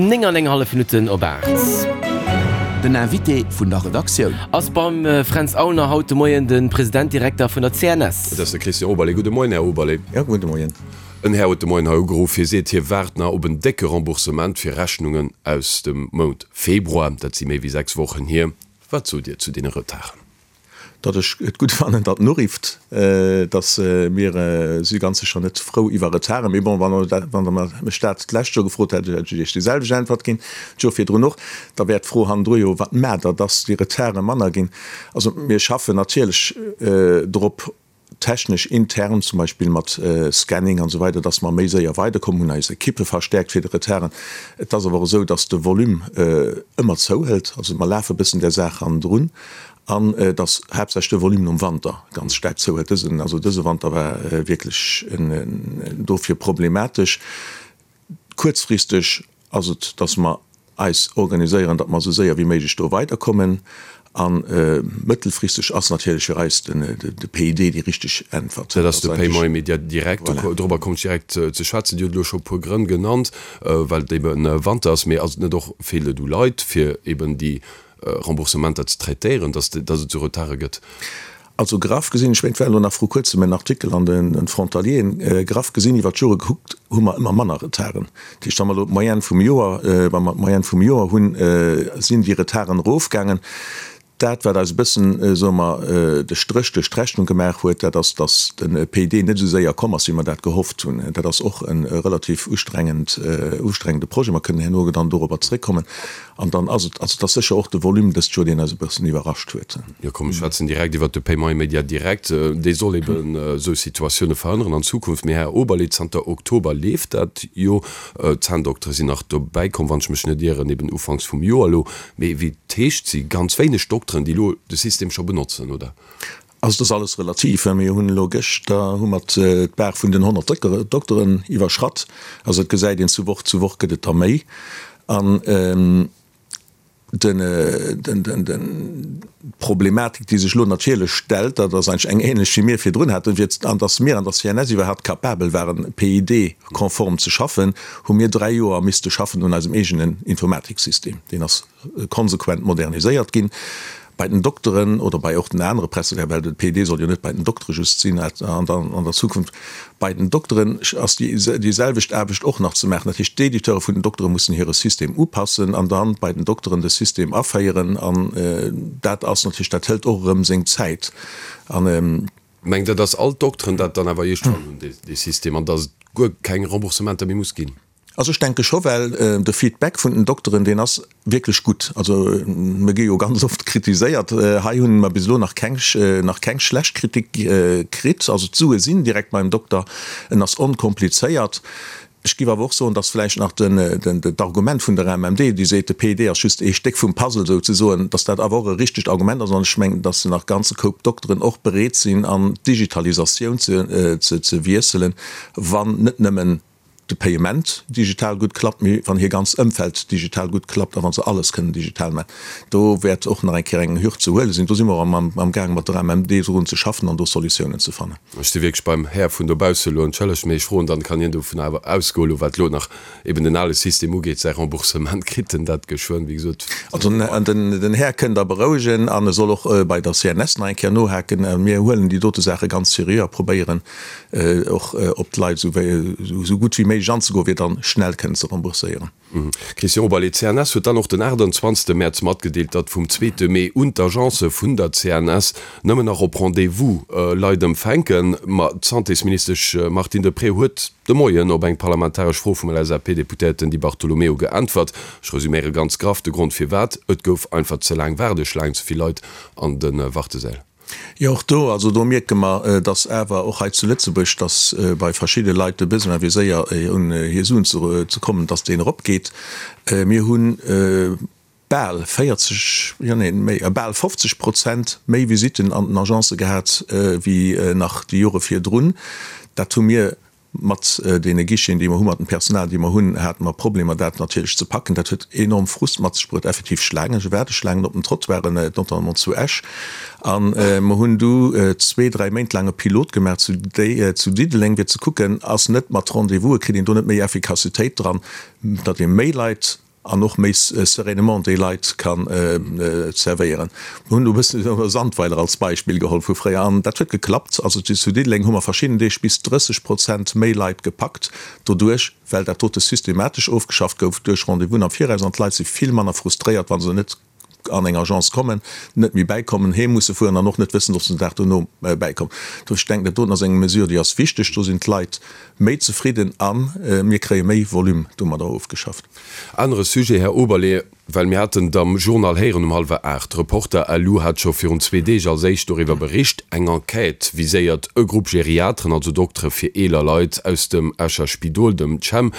9 an eng hallef Minutten op 8. Den Invité vun der Redaktioun. Ass beim Fränz Aulner haut de Moien de President-Direkter vun der CNS. Et ass de Christian Oberlé. Gudde Moien, Här Oberlé. Jo, gudde Moien. En Här huet de Moien hei ugeruff. Hie seet, hie waart nach op en décke Remboursement fir Rechnungen aus dem Mount Februar. Dat si méi wéi 6 Wochen hier. Wat sot Dir zu deene Retarden? Datt ech et gutt fannen, datt en urifft, datt mir si ganz sécher net frou iwwer Retarden. Mee bon, wann Der mech dat d'lescht Joer gefrot hätt, hätt ech Iech déi selwecht Äntwert ginn, d'Joer virdrun och. Da wär d'Fro hannendru jo, Wat maacht Der, datt déi Retarde manner ginn? Also mir schaffen natierlech drop, technesch intern, zum Beispill mat Scanning an esou weider, dass mer méi séier weiderkommen, hunn eis Ekippe verstärkt fir de Retarden. Et ass awer och esou, dass de Volume ëmmer zouhëlt, also mer lafe bëssen där Saach hannendrun an dass haaptsächlech de Volume nom Wanter ganz staark zouhëlt. Dësen, also dëse Wanter war wierklech dofir problematesch. Kuerzfristeg ass et, dass mer eis organiséieren, datt mer esou séier wéi méiglech do weiderkommen. A mëttelfristeg ass natierlech fir eis de PID déi richteg Äntwert. Dat ass de Paiement immédiat direct. Dorobber kommt ech direkt ze schwätzen. Dir hutt elo scho e puer Grënn genannt, well et ebe Wanter ass. Mee ass et net och, feelt et u Leit, fir eben déi Remboursementer ze traitéieren, datt et esou Retarde gëtt? Also graff gesinn, ech mengen et war elo nach vru kuerzem en Artikel an den Frontalieren, graff gesinn iwwer d'Jore gekuckt hu mer ëmmer manner Retarden. Dat heescht, wa mer elo d'Moyenne vum Joer, wa mer d'Moyenne vum Joer hunn, sinn déi Retarden erofgaangen. Dat wat eis e bëssen, soe mer, de Stréch duerch d'Rechnung gemaach huet, dat ass, datt de PID net esou séier komm ass, wéi mer dat gehofft hunn. Dat ass och e relativ ustrengend, ustrengende Projet. Mer kënnen herno dann dorobber zréckkommen. An dann ass et, also et ass sécher och de Volume dëst Joer, deen eis e bëssen iwwerrascht huet. Jo, komm, ech schwätzen direkt iwwert de Paiement immédiat direct. Dee soll eben esou Situatioune verhënneren an Zukunft. Mee, Här Oberlé, zanter Oktober leeft dat jo. D'Zänndoktere sinn nach dobäi komm, wann ech mech net ieren, eben ufanks vum Joer elo. Mee wéi et heescht, si ganz wéineg Dokteren, déi elo de System scho benotzen, oder? Also et ass alles relativ. Mir hunn elo gëschter hu mer d'Bar vun den 100 Dokteren iwwerschratt. Also et gesäit een, zu Woch zu Woch gëtt et der méi. An d'Problematik, déi sech elo natierlech stellt, dat ass eigentlech eng ähnlech wéi mir virdrun haten, fir an datt mir an der CNS iwwerhaapt capabel waren, PID-konform ze schaffen, hu mir 3 Joer misste schaffen un eisem eegenen Informatiksystem. Deen ass konsequent moderniséiert ginn. Bei den Dokteren oder bei och den anere Prestataire, well de PID soll jo net bei den Doktere just sinn an der Zukunft, bei den Dokteren ass déi selwecht Aarbecht och nach ze maachen. Dat heescht, d'Editeure vun den Doktere mussen hire System upassen an dann bei den Dokteren de System aféieren. An dat ass natierlech, dat hëlt och erëm seng Zäit. An. Mengt Der, dass all d'Dokteren dat dann awer iergendwann hunn, dee System, an dass et guer keng Remboursementer méi muss ginn? Also ech denke scho, well de Feedback vun den Dokteren, deen ass wierklech gutt. Also mir gi jo ganz oft kritiséiert. Hei hunn mer bis elo nach keng, nach keng schlecht Kritik kritt. Also d'Sue sinn direkt beim Dokter, en ass onkomplizéiert. Ech géif awer och soen, dass vläicht nach den, d'Argument vun der AMMD, déi seet, de PID ass just ee Stéck vum Puzzle souzesoen, dass dat awer och e richtegt Argument ass. An ech mengen, dass nach ganze Koup Dokteren och bereet sinn, an d'Digitalisatioun ze, ze wiesselen, wann net nëmmen de Payement digital gutt klappt, mee wann hir ganz Ëmfeld digital gutt klappt a wa se alles kënnen digital maachen. Do wäert och nach eng Kéier eng Hürd ze huele sinn. Do si mer och am gaang mat der AMMD drun ze schaffen an do Solutiounen ze fannen. Ech si wierklech beim Här vun dobausse elo, entschëllegt, mee ech froen, dann kann hien dovun awer ausgoen elo, wat elo nach eben den ale System ugeet, säi Remboursement kritt en dat geschwënn, wéi gesot. Also den Här kënnt Der berouegen an e soll och bei der CNS nach eng Kéier nohaken. Mir huelen déi dote Saache ganz seriö a probéieren, och op d'Leit esou gutt wéi méiglech anzegoen, fir dann schnell kënnen ze rembourséieren. Christian Oberlé, D'CNS huet dann och den 28 Mäerz matgedeelt, datt vum zweete Mee un d'Agencë vun der CNS nëmmen nach op Rendez-vous Leit empfänken. Ma d'Santésministesch Martine Deprez huet de Moien op eng parlamentaresch Fro vum LSAP-Deputéierten Di Bartolomeo geäntwert. Ech resuméiere ganz graff de Grond firwat, Et gouf einfach ze laang Waardeschlaang, ze vill Leit an de Wartesäll. Jo, och do, also do mierke mer, dass awer och hei zu Lëtzebuerg, dass bei verschidde Leit de Besoin fir séier un hir Suen ze kommen, dass deen eropgeet. Mir hu bal 40, jo neen, méi, bal 50 Prozent méi Visitten an den Agencë gehat wéi nach déi Jore virdrun. Dat hu mir Mat deene Guicheten, déi mer hunn, mat dem Personal, déi mer hunn, hate mer Problemer, dat natierlech ze packen. Dat huet enorm Frust mat sech bruet, effektiv Schlaangen, Waardeschlaangen op den Trottoiren, notamment zu Esch. A mer hunn du zwee, dräi Méint laang e Pilot gemaach zu zu Diddeleng, fir ze kucken, ass net mat Rendez-vouse, kritt een do net méi Effikassitéit dran, datt ee méi Leit. an och méi sereinement déi Leit kann zerwéieren. Mir hunn do e bëssen Sandweiler als Beispill geholl vu fréier an dat huet geklappt. Also zu Diddeleng hu mer verschidden Deeg bis 30 Prozent méi Leit gepackt doduerch, well dat dote systematesch ofgeschafft gouf duerch Rendez-vousen am Viraus an d'Leit si vill manner frustréiert, wa se net an eng Agence kommen, net méi bäikommen, heem musse fueren an och net wëssen, ob se den Dag dono bäikommen. Dofir, ech denken, dat doten ass eng Mesure, déi ass wichteg. Do sinn d'Leit méi zefridden a mir kréie méi Volume domadder ofgeschafft. Anere Sujet, Här Oberlé, well mir haten et am Journal héieren um hallwer 8, Reporter lu hat scho virun zwee Deeg als éischt doriwwer bericht, eng Enquête viséiert e Grupp Geriatren, also Doktere fir eeler Leit aus dem Escher Spidol, dem CHEM,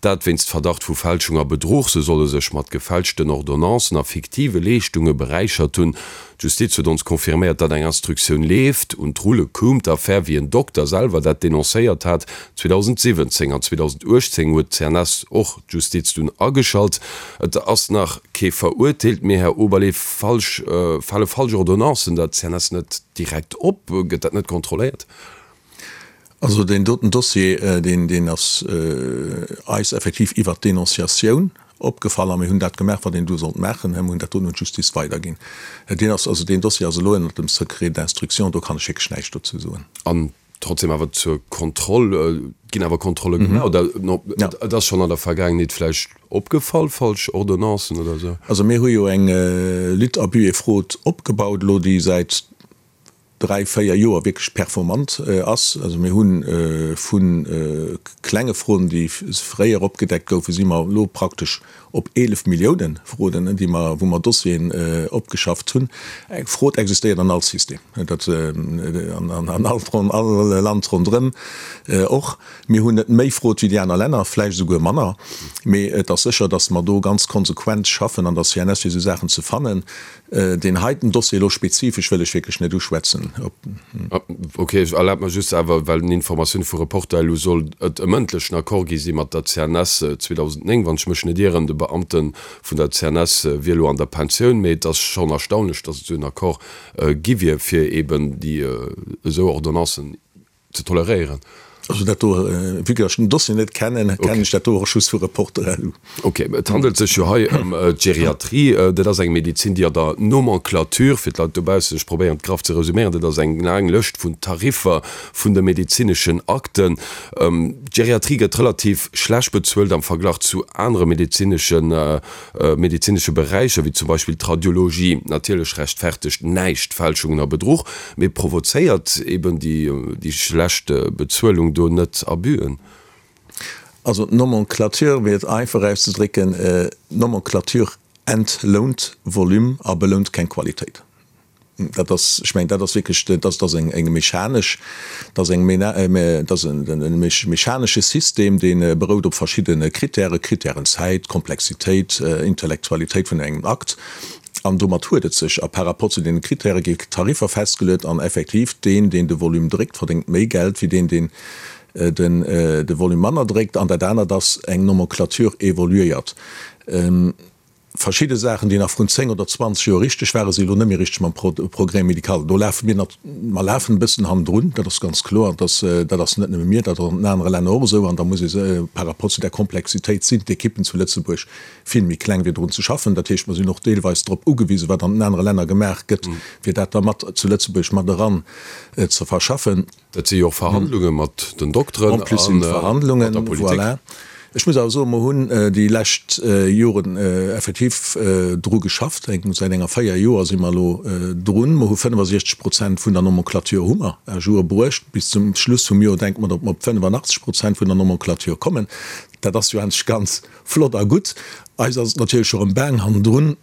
dat wéinst Verdacht vu Fälschung a Bedruch. Se solle sech mat gefälschten Ordonnancen a fiktive Leeschtunge beräichert hunn. D'Justiz huet ons confirméiert, datt eng Instruktioun leeft. Un d'Rulle koum d'Affär, wéi en Dokter selwer dat denoncéiert hat. 2017 an 2018 huet d'CNS och d'Justiz dunn ageschalt. Et ass nach kee verurteelt, mee Här Oberlé, falsch, fale falsch Ordonnancen der CNS net direkt op? Gëtt dat net kontrolléiert? Also deen doten Dossier, deen, deen ass eis effektiv iwwert d'Denonciatioun opgefall a mir hunn dat gemaach, wat een do sollt maachen. Mir hunn dat doten un d'Justiz weiderginn. Deen ass, also deen Dossier ass elo ënnert dem Secret d'instruction, do kann ech wierklech näischt dozou soen. An trotzdem awer zur Kontroll, et ginn awer Kontrolle gemaach, oder et ass schonn an der Vergaangenheet vläicht opgefall, falsch Ordonnancen oder esou? Also mir hu jo eng Lutte abus et fraude opgebaut elo, déi säit 3, 4 Joer wierklech performant ass. Also mir hu vu klenge Froden, déi fréier opgedeckt goufen, si mer elo praktesch op 11 Milliounen Froden, déi mer, wou mer Dossieren opgeschafft hunn. Eng Frod existéiert an all System, dat an all Land ronderëm och. Mir hunn net méi Frod wéi déi aner Länner, vläicht esouguer manner, mee et ass sécher, datt mer do ganz konsequent schaffen an der CNS, fir esou Saachen ze fannen. Deen heiten Dossier elo spezifesch wëll ech wierklech net uschwätzen. Ok, ech erlabe mer just awer, well den Informatioune vu Reporter elo soll et e mëndlechen Accord gi si mat der CNS 2009, wann ech mech net ieren. De Beamte vun der CNS wier elo an der Pensioun, mee et ass schonn erstaunlech, datt et esou en Accord gi wier, fir eeben déi esou Ordonnancen ze toleréieren. Also dat do, vue que ech den Dossier net kennen, kennen ech dat do och just vu Reporter.lu. Ok, et handelt sech jo hei ëm d'Geriatrie. Dat ass eng Medezin, déi an der Nomenclature, fir d'Leit dobaussen, ech probéieren et graff ze resuméieren, dat ass eng laang Lëscht vun Tariffer vun de medezineschen Akten. D'Geriatrie gëtt relativ schlecht bezuelt am Verglach zu anere medezineschen medezinesche Beräicher, wéi zum Beispill d'Radiologie. Natierlech rechtfertegt näischt Fälschungen a Bedruch, mee provozéiert eben déi schlecht Bezuelung do net Abüen? Also d'Nomenclature, fir et einfach auszedrécken, d'Nomenclature entlount Volume a belount keng Qualitéit. Dat ass, ech mengen, dat ass wierklech, dat ass eng mechanesch, dat ass eng, dat ass e mechanesche System, dee berout op verschiddene Kritären, Kritären Zäit, Komplexitéit, Intellektualitéit vun engem Akt. An domat huet et sech. A par rapport zu deene Kritäre gi Tariffer festgeluet an effektiv deen, deen de Volume dréckt, verdéngt méi Geld wéi deen, deen de Volume manner dréckt. An dat anert ass, eng Nomenclature évoluéiert. Verschidde Saachen, déi nach vrun 10 oder 20 Joer richteg waren, si elo net méi richteg mam Progrès médical. Do lafe mir nat, mer lafen e bëssen hannendrun, dat ass ganz kloer. Dass, dat ass net nëmme mir, dat ass an den anere Länner och esou. An da muss ee se, par rapport zu där Komplexitéit sinn d'Ekippen zu Lëtzebuerg vill méi kleng, fir drun ze schaffen. Dat heescht, mer sinn och deelweis drop ugewisen, wat an den anere Länner gemaach gëtt, fir dat da mat zu Lëtzebuerg mat eran ze verschaffen. Dat si jo och Verhandlunge mat den Dokteren a mat der Politik. Voilà. Ech muss awer soen, mer hunn déi lescht Joren effektiv dru geschafft. Säit enger 4 Joer si mer elo drun. Mer hu 65 Prozent vun der Nomenclature hu mer à jour bruecht. Bis zum Schluss vum Joer denke mer, datt mer op 85 Prozent vun der Nomenclature kommen. Dat ass jo eigentlech ganz flott a gutt. Eis ass et natierlech och erëm baang hannendrun.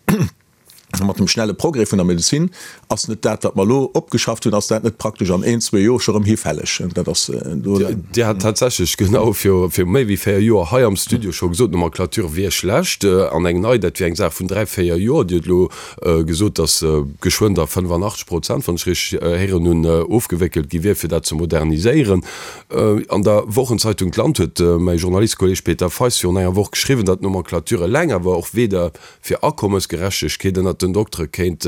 Mat dem schnelle Progrès vun der Medezin ass net dat, wat mer elo opgeschafft hunn, ass dat net praktesch an een, zwee Joer scho rëm hifälleg. Dat ass do. Dir hat tatsächlech genau viru méi wéi 4 Joer hei am Studio scho gesot, d'Nomenclature wier schlecht an eng nei, dat wier eng Saach vun dräi, véier Joer. Dir hutt elo gesot, datt geschwënn der 85 Prozent, wann ech richteg héieren hunn, ofgewéckelt gi wier, fir dat ze moderniséieren. An der Wochenzeitung D'Land huet mäi Journalistkolleeg Peter Feist virun enger Woch geschriwwen, datt d'Nomenclature eleng awer och weder fir Akommesgerechtegkeet ënnert den Doktere kéint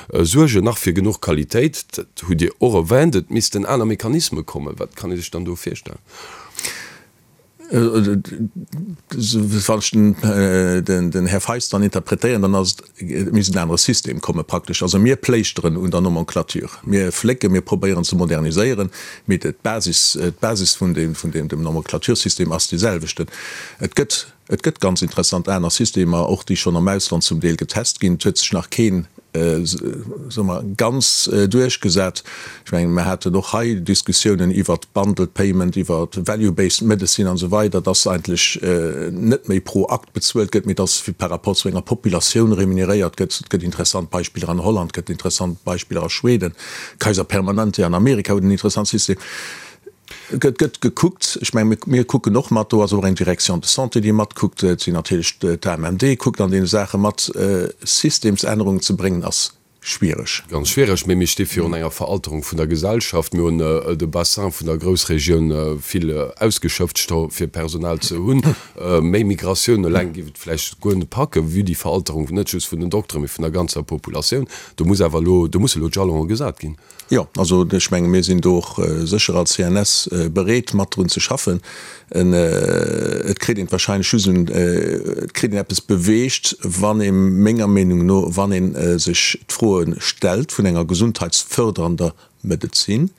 suergen, nach fir genuch Qualitéit, dat hutt Dir och erwänt, et missten aner Mechanisme kommen. Wat kann ee sech dann do virstellen? Wann ech den Här Feist dann interpretéieren, dann ass et, et misst en anere System komme praktesch. Also mir pléischteren un der Nomenclature, mir flécken, mir probéieren ze moderniséieren, mee d'Basis, d'Basis vun deem, vun deem, dem Nomenclaturesystem ass dee selwechten. Et gëtt, et gëtt ganz interessant aner Systemer, och déi schonn am Ausland zum Deel getest ginn. Et huet sech nach keen soe mer, ganz duerchgesat. Ech mengen, mer haten och hei Diskussiounen iwwert Bundled Payment, iwwer Value-based Medicine an esou weider, dass eigentlech net méi pro Akt bezuelt gëtt, mee dass par rapport zu enger Populatioun remuneréiert gëtt. Et gëtt interessant Beispiller an Holland, et gëtt interessant Beispiller a Schweden, Kaiser Permanente an Amerika huet en interessant System. Et gëtt gekuckt. Ech mengen, mir kucken och mat. Do ass och eng Direction de santé, déi matkuckt. Et sinn natierlech d'AMMD kuckt an deene Saache mat. Systemsännerungen ze bréngen ass schwiereg. Ganz schwiereg. Mee mir sti virun enger Veralterung vun der Gesellschaft. Mir hunn de Bassin vun der Groussregioun vill ausgeschöpft, scho fir Personal ze hunn. Méi Migratioun eleng géif et vläicht guer net packen, vue déi Veralterung net just vun den Dokteren, mee vun der ganzer Populatioun. Do muss awer elo, do musse elo d'Jalonen gesat ginn. Jo, also ech menge mir sinn do och sécher als CNS bereet mat drun ze schaffen. Et kritt een wahrscheinlech just un, et kritt een eppes beweegt, wann ee menger Meenung no, wann ee sech d'Froe stellt vun enger gesundheitsfördernder Medezin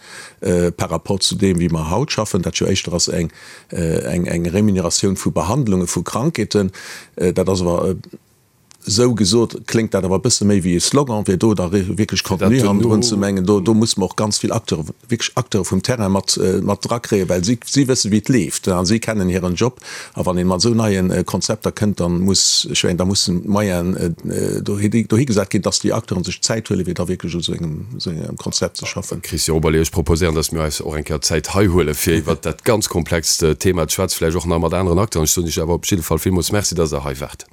par rapport zu deem wéi mer haut schaffen, dat jo éischter ass eng eng Remuneratioun vu Behandlunge vu Krankheeten. Dat ass awer Esou gesot kléngt dat awer e bësse méi wéi e Slogan, fir do da wierklech Contenu hannendrun ze mengen. Do musse mer och ganz vill Acteuren, wierklech Acteure vum Terrain mat mat drakréien, well si si wësse wéi et leeft a si kennen hiren Job. A wann ee mat esou neie Konzepter kënnt, dann muss, ech mengen, da mussen d'Moyenen dohi dohigesat ginn, dass déi Acteuren sech d'Zäit huelen, fir da wierklech u esou engem esou engem Konzept ze schaffen. Christian Oberlé, Ech proposéieren, dass mir eis och eng Kéier Zäit hei huelen, fir iwwert dat ganz komplext Thema ze schwätzen, vläicht och nach mat aneren Acteuren. Ech soen Iech awer op jidde Fall villmools Merci, dass Der hei waart.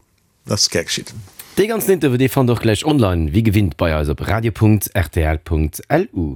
Dat ass gär geschitt. Dee ganzen Interview, dee fannt der och gläich online, wéi gewinnt bei eis op radio.rtl.lu.